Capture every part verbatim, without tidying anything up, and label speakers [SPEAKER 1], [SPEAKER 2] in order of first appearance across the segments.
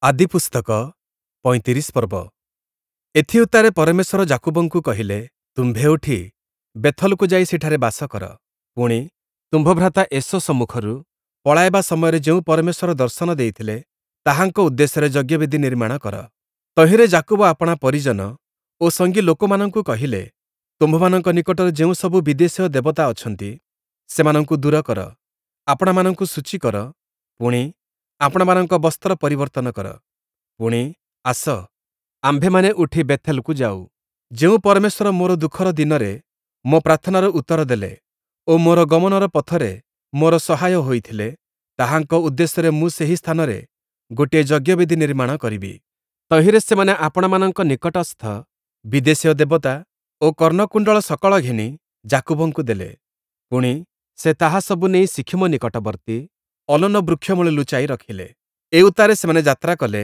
[SPEAKER 1] ଆଦିପୁସ୍ତକ ପଇଁତିରିଶ ପର୍ବ। ଏଥିଉତ୍ତାରେ ପରମେଶ୍ୱର ଯାକୁବଙ୍କୁ କହିଲେ, ତୁମ୍ଭେ ଉଠି ବେଥଲକୁ ଯାଇ ସେଠାରେ ବାସ କର। ପୁଣି, ତୁମ୍ଭ ଭ୍ରାତା ଏଷୌ ସମ୍ମୁଖରୁ ପଳାଇବା ସମୟରେ ଯେଉଁ ପରମେଶ୍ୱର ଦର୍ଶନ ଦେଇଥିଲେ, ତାହାଙ୍କ ଉଦ୍ଦେଶ୍ୟରେ ଯଜ୍ଞବେଦି ନିର୍ମାଣ କର। ତହିଁରେ ଯାକୁବ ଆପଣା ପରିଜନ ଓ ସଙ୍ଗୀ ଲୋକମାନଙ୍କୁ କହିଲେ, ତୁମ୍ଭମାନଙ୍କ ନିକଟରେ ଯେଉଁ ସବୁ ବିଦେଶୀୟ ଦେବତା ଅଛନ୍ତି, ସେମାନଙ୍କୁ ଦୂର କର, ଆପଣାମାନଙ୍କୁ ଶୁଚି କର, ପୁଣି, ଆପଣାମାନଙ୍କ ବସ୍ତ୍ର ପରିବର୍ତ୍ତନ କର। ପୁଣି, ଆସ, ଆମ୍ଭେମାନେ ଉଠି ବେଥେଲକୁ ଯାଉ। ଯେଉଁ ପରମେଶ୍ୱର ମୋର ଦୁଃଖର ଦିନରେ ମୋ ପ୍ରାର୍ଥନାର ଉତ୍ତର ଦେଲେ ଓ ମୋର ଗମନର ପଥରେ ମୋର ସହାୟ ହୋଇଥିଲେ, ତାହାଙ୍କ ଉଦ୍ଦେଶ୍ୟରେ ମୁଁ ସେହି ସ୍ଥାନରେ ଗୋଟିଏ ଯଜ୍ଞବେଦି ନିର୍ମାଣ କରିବି। ତହିଁରେ ସେମାନେ ଆପଣାମାନଙ୍କ ନିକଟସ୍ଥ ବିଦେଶୀୟ ଦେବତା ଓ କର୍ଣ୍ଣକୁଣ୍ଡଳ ସକଳ ଘେନି ଯାକୁବଙ୍କୁ ଦେଲେ। ପୁଣି, ସେ ତାହା ସବୁ ନେଇ ଶିଖିମ ନିକଟବର୍ତ୍ତୀ ଅଲୋନ ବୃକ୍ଷମୂଳେ ଲୁଚାଇ ରଖିଲେ। ଏଉତ୍ତାରେ ସେମାନେ ଯାତ୍ରା କଲେ।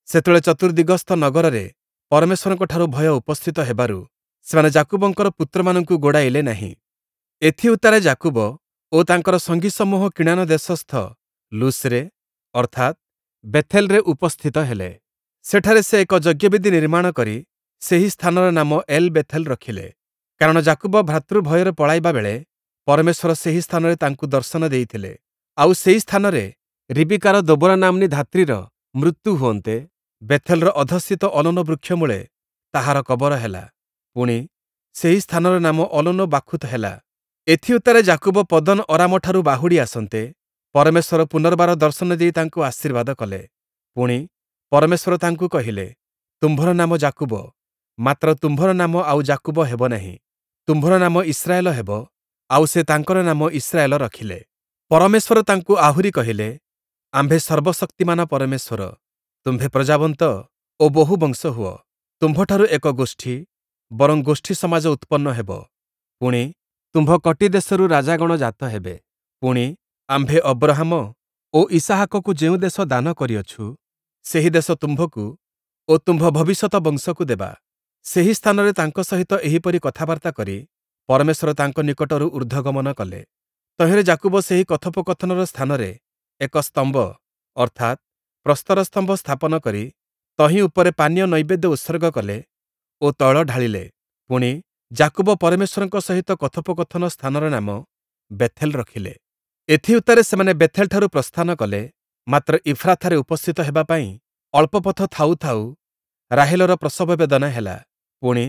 [SPEAKER 1] ସେତେବେଳେ ଚତୁର୍ଦ୍ଦିଗସ୍ଥ ନଗରରେ ପରମେଶ୍ୱରଙ୍କଠାରୁ ଭୟ ଉପସ୍ଥିତ ହେବାରୁ ସେମାନେ ଯାକୁବଙ୍କର ପୁତ୍ରମାନଙ୍କୁ ଗୋଡ଼ାଇଲେ ନାହିଁ। ଏଥିଉତ୍ତାରେ ଯାକୁବ ଓ ତାଙ୍କର ସଙ୍ଗୀସମୂହ କିଣାନ ଦେଶସ୍ଥ ଲୁସ୍‌ରେ ଅର୍ଥାତ୍, ବେଥେଲରେ ଉପସ୍ଥିତ ହେଲେ। ସେଠାରେ ସେ ଏକ ଯଜ୍ଞବେଦି ନିର୍ମାଣ କରି ସେହି ସ୍ଥାନର ନାମ ଏଲ୍ ବେଥେଲ ରଖିଲେ, କାରଣ ଯାକୁବ ଭ୍ରାତୃଭୟରେ ପଳାଇବା ବେଳେ ପରମେଶ୍ୱର ସେହି ସ୍ଥାନରେ ତାଙ୍କୁ ଦର୍ଶନ ଦେଇଥିଲେ। ଆଉ ସେହି ସ୍ଥାନରେ ରିବିକାର ଦୋବରା ନାମ୍ନୀ ଧାତ୍ରୀର ମୃତ୍ୟୁ ହୁଅନ୍ତେ, ବେଥେଲର ଅଧଃସ୍ଥିତ ଅଲୋନ ବୃକ୍ଷମୂଳେ ତାହାର କବର ହେଲା। ପୁଣି, ସେହି ସ୍ଥାନର ନାମ ଅଲୋନ ବାଖୁତ୍ ହେଲା। ଏଥିଉତ୍ତାରେ ଯାକୁବ ପଦନ୍ ଅରାମଠାରୁ ବାହୁଡ଼ି ଆସନ୍ତେ, ପରମେଶ୍ୱର ପୁନର୍ବାର ଦର୍ଶନ ଦେଇ ତାଙ୍କୁ ଆଶୀର୍ବାଦ କଲେ। ପୁଣି, ପରମେଶ୍ୱର ତାଙ୍କୁ କହିଲେ, ତୁମ୍ଭର ନାମ ଯାକୁବ, ମାତ୍ର ତୁମ୍ଭର ନାମ ଆଉ ଯାକୁବ ହେବ ନାହିଁ, ତୁମ୍ଭର ନାମ ଇସ୍ରାଏଲ ହେବ। ଆଉ ସେ ତାଙ୍କର ନାମ ଇସ୍ରାଏଲ ରଖିଲେ। ପରମେଶ୍ୱର ତାଙ୍କୁ ଆହୁରି କହିଲେ, ଆମ୍ଭେ ସର୍ବଶକ୍ତିମାନ ପରମେଶ୍ୱର, ତୁମ୍ଭେ ପ୍ରଜାବନ୍ତ ଓ ବହୁ ବଂଶ ହୁଅ। ତୁମ୍ଭଠାରୁ ଏକ ଗୋଷ୍ଠୀ, ବରଂ ଗୋଷ୍ଠୀ ସମାଜ ଉତ୍ପନ୍ନ ହେବ। ପୁଣି, ତୁମ୍ଭ କଟିଦେଶରୁ ରାଜାଗଣ ଜାତ ହେବେ। ପୁଣି, ଆମ୍ଭେ ଅବ୍ରହାମ ଓ ଇସାହାକକୁ ଯେଉଁ ଦେଶ ଦାନ କରିଅଛୁ, ସେହି ଦେଶ ତୁମ୍ଭକୁ ଓ ତୁମ୍ଭ ଭବିଷ୍ୟତ ବଂଶକୁ ଦେବା। ସେହି ସ୍ଥାନରେ ତାଙ୍କ ସହିତ ଏହିପରି କଥାବାର୍ତ୍ତା କରି ପରମେଶ୍ୱର ତାଙ୍କ ନିକଟରୁ ଊର୍ଦ୍ଧ୍ୱଗମନ କଲେ। ତହିଁରେ ଯାକୁବ ସେହି କଥୋପକଥନର ସ୍ଥାନରେ ଏକ ସ୍ତମ୍ଭ, ଅର୍ଥାତ୍, ପ୍ରସ୍ତର ସ୍ତମ୍ଭ ସ୍ଥାପନ କରି ତହିଁ ଉପରେ ପାନୀୟ ନୈବେଦ୍ୟ ଉତ୍ସର୍ଗ କଲେ ଓ ତୈଳ ଢାଳିଲେ। ପୁଣି, ଯାକୁବ ପରମେଶ୍ୱରଙ୍କ ସହିତ କଥୋପକଥନ ସ୍ଥାନର ନାମ ବେଥେଲ ରଖିଲେ। ଏଥିଉତ୍ତାରେ ସେମାନେ ବେଥେଲଠାରୁ ପ୍ରସ୍ଥାନ କଲେ, ମାତ୍ର ଇଫ୍ରାଥାରେ ଉପସ୍ଥିତ ହେବା ପାଇଁ ଅଳ୍ପ ପଥ ଥାଉ ଥାଉ ରାହେଲର ପ୍ରସବ ବେଦନା ହେଲା। ପୁଣି,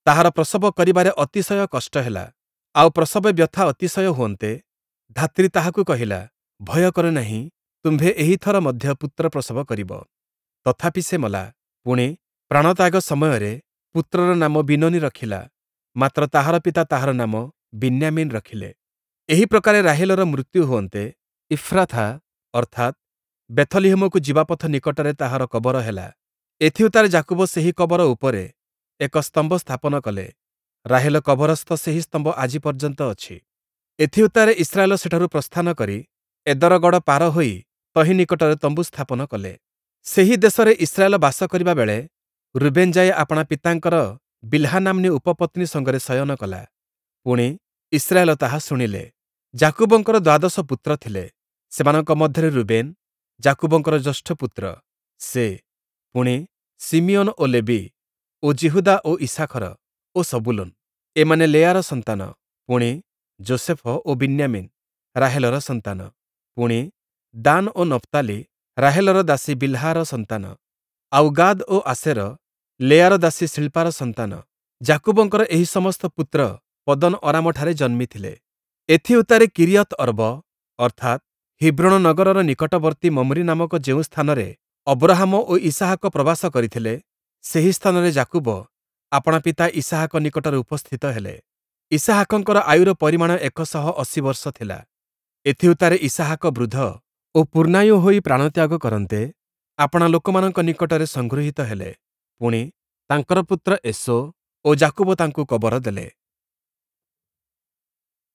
[SPEAKER 1] ତାହାର ପ୍ରସବ କରିବାରେ ଅତିଶୟ କଷ୍ଟ ହେଲା, ଆଉ ପ୍ରସବ ବ୍ୟଥା ଅତିଶୟ ହୁଅନ୍ତେ, ଧାତ୍ରୀ ତାହାକୁ କହିଲା, ଭୟ କର ନାହିଁ, ତୁମ୍ଭେ ଏହି ଥର ମଧ୍ୟ ପୁତ୍ର ପ୍ରସବ କରିବ। ତଥାପି ସେ ମଲା। ପୁଣି, ପ୍ରାଣତ୍ୟାଗ ସମୟରେ ପୁତ୍ରର ନାମ ବିନୋନୀ ରଖିଲା, ମାତ୍ର ତାହାର ପିତା ତାହାର ନାମ ବିନ୍ୟାମୀନ୍ ରଖିଲେ। ଏହି ପ୍ରକାରେ ରାହେଲର ମୃତ୍ୟୁ ହୁଅନ୍ତେ, ଇଫ୍ରାଥା, ଅର୍ଥାତ୍, ବେଥଲିହମକୁ ଯିବା ପଥ ନିକଟରେ ତାହାର କବର ହେଲା। ଏଥିଉତ୍ତାରେ ଯାକୁବ ସେହି କବର ଉପରେ ଏକ ସ୍ତମ୍ଭ ସ୍ଥାପନ କଲେ। ରାହେଲ କବରସ୍ଥ ସେହି ସ୍ତମ୍ଭ ଆଜି ପର୍ଯ୍ୟନ୍ତ ଅଛି। ଏଥିଉତ୍ତାରେ ଇସ୍ରାଏଲ ସେଠାରୁ ପ୍ରସ୍ଥାନ କରି ଏଦରଗଡ଼ ପାର ହୋଇ ତହିଁ ନିକଟରେ ତମ୍ବୁ ସ୍ଥାପନ କଲେ। ସେହି ଦେଶରେ ଇସ୍ରାଏଲ ବାସ କରିବା ବେଳେ ରୁବେନ୍ ଯାଇ ଆପଣା ପିତାଙ୍କର ବିଲ୍‌ହା ନାମ୍ନୀ ଉପପତ୍ନୀ ସଙ୍ଗରେ ଶୟନ କଲା। ପୁଣି, ଇସ୍ରାଏଲ ତାହା ଶୁଣିଲେ। ଯାକୁବଙ୍କର ଦ୍ୱାଦଶ ପୁତ୍ର ଥିଲେ। ସେମାନଙ୍କ ମଧ୍ୟରେ ରୁବେନ୍, ଯାକୁବଙ୍କର ଜ୍ୟେଷ୍ଠ ପୁତ୍ର, ସେ, ପୁଣି, ଶିମିୟୋନ ଓ ଲେବୀ ଓ ଯିହୁଦା ଓ ଇଷାଖର ଓ ସବୂଲୂନ। ଏମାନେ ଲେଆର ସନ୍ତାନ। ପୁଣି, ଯୋଷେଫ ଓ ବିନ୍ୟାମୀନ୍ ରାହେଲର ସନ୍ତାନ। ପୁଣି, ଦାନ୍ ଓ ନପ୍ତାଲି ରାହେଲର ଦାସୀ ବିଲ୍‌ହାର ସନ୍ତାନ। ଆଉ ଗାଦ୍ ଓ ଆଶେର ଲେଆର ଦାସୀ ସିଳ୍ପାର ସନ୍ତାନ। ଯାକୁବଙ୍କର ଏହି ସମସ୍ତ ପୁତ୍ର ପଦନ୍ ଅରାମଠାରେ ଜନ୍ମିଥିଲେ। ଏଥିଉତ୍ତାରେ କିରିୟତ୍ ଅର୍ବ, ଅର୍ଥାତ୍, ହିବ୍ରୋଣ ନଗରର ନିକଟବର୍ତ୍ତୀ ମମ୍ରି ନାମକ ଯେଉଁ ସ୍ଥାନରେ ଅବ୍ରହାମ ଓ ଇସାହାକ ପ୍ରବାସ କରିଥିଲେ, ସେହି ସ୍ଥାନରେ ଯାକୁବ ଆପଣା ପିତା ଇସାହାକ ନିକଟରେ ଉପସ୍ଥିତ ହେଲେ। ଇସାହାକଙ୍କର ଆୟୁର ପରିମାଣ ଏକ ଶହ ଅଶୀ ବର୍ଷ ଥିଲା। ଏଥିଉତ୍ତାରେ ଇସାହାକ ବୃଦ୍ଧ ଓ ପୂର୍ଣ୍ଣାୟୁ ହୋଇ ପ୍ରାଣତ୍ୟାଗ କରନ୍ତେ, ଆପଣା ଲୋକମାନଙ୍କ ନିକଟରେ ସଂଗୃହୀତ ହେଲେ। ପୁଣି, ତାଙ୍କର ପୁତ୍ର ଏଷୌ ଓ ଯାକୁବ ତାଙ୍କୁ କବର ଦେଲେ।